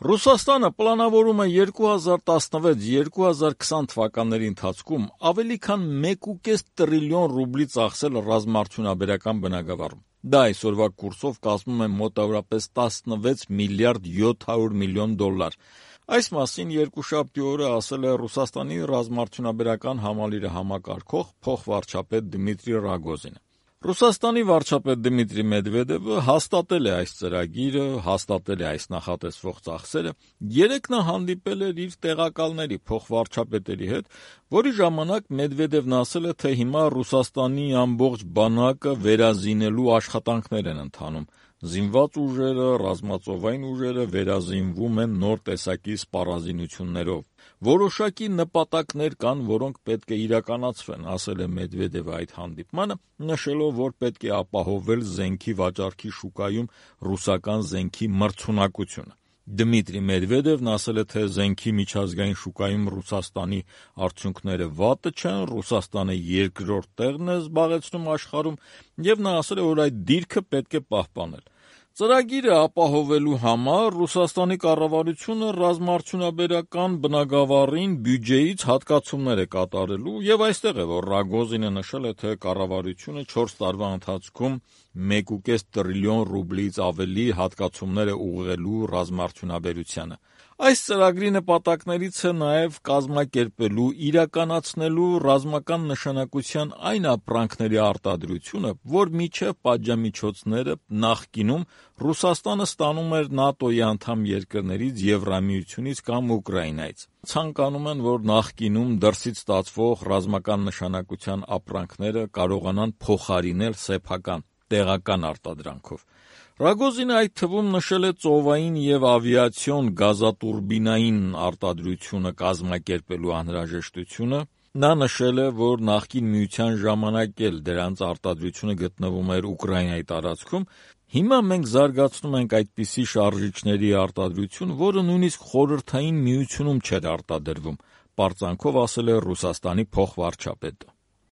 Ռուսաստանը պլանավորում է 2016-2020 թվականների ընթացքում ավելի քան 1,5 տրիլիոն ռուբլի ծախսել ռազմաարդյունաբերական բնագավառում։ Դա այսօրվա կուրսով կազմում է մոտավորապես 16 միլիարդ 700 միլիոն դոլար։ Այս մասին երկուշաբթի օրը ասել է Ռուսաստանի ռազմաարդյունաբերական համալիրը համակարգող փոխվարչապետ Դմիտրի Ռագոզինը։ Ռուսաստանի վարչապետ Դմիտրի Մեդվեդևը հաստատել է այս ծրագիրը, հաստատել է այս նախատեսվող ծախսերը։ Երեկ նա հանդիպել էր իր տեղակալների, փոխվարչապետերի հետ, որի ժամանակ Մեդվեդևն ասել է, թե հիմա Ռուսաստանի ամբողջ բանակը վերազինելու աշխատանքներ են ընթանում։ Զինված ուժերը, ռազմածովային ուժերը վերազինվում են նոր տեսակի սպառազինություններով։ Որոշակի նպատակներ կան, որոնք պետք է իրականացվեն, ասել է Մեդվեդևը այդ հանդիպմանը, նշելով, որ պետք է ապահովել զենքի վաճառքի շուկայում ռուսական զենքի մրցունակությունը։ Դմիտրի Մեդվեդևն ասել է, թե զենքի միջազգային շուկայում Ռուսաստանի արդյունքները վատը չեն, Ռուսաստանը երկրորդ տեղն է զբաղեցնում աշխարհում, եւ նա ասել է, որ այդ դիրքը պետք է պահպանել։ Ծրագիրը ապահովելու համար Ռուսաստանի կառավարությունը ռազմաարդյունաբերական բնագավառին բյուջեից հատկացումներ է կատարելու, եւ այստեղ է, որ Ռագոզինը նշել է, թե կառավարությունը 4 տարվա ընթացքում 1,5 տրիլիոն ռուբլից ավելի հատկացումներ է ուղղելու ռազմաարդյունաբերությանը։ Այս ծրագրի նպատակներից է նաև կազմակերպելու, իրականացնելու ռազմական նշանակության այն ապրանքների արտադրությունը, որ մինչև պատժամիջոցները նախկինում Ռուսաստանը ստանում էր ՆԱՏՕ-ի անդամ երկրներից, Եվրամիությունից կամ Ուկրաինայից։ Ցանկանում են, որ նախկինում դրսից ստացվող ռազմական նշանակության ապրանքները կարողանան փոխարինել սեփական, տեղական արտադրանքով։ Ռագոզինը այդ թվում նշել է ծովային եւ ավիացիոն գազատուրբինային արտադրությունը կազմակերպելու անհրաժեշտությունը։ Նա նշել է, որ նախկին միության ժամանակ էլ դրանց արտադրությունը գտնվում էր Ուկրաինայի տարածքում։ Հիմա մենք զարգացնում ենք այդպիսի շարժիչների արտադրություն, որը նույնիսկ Խորհրդային Միությունում չէր արտադրվում, պարծանքով ասել է Ռուսաստանի փոխվարչապետը։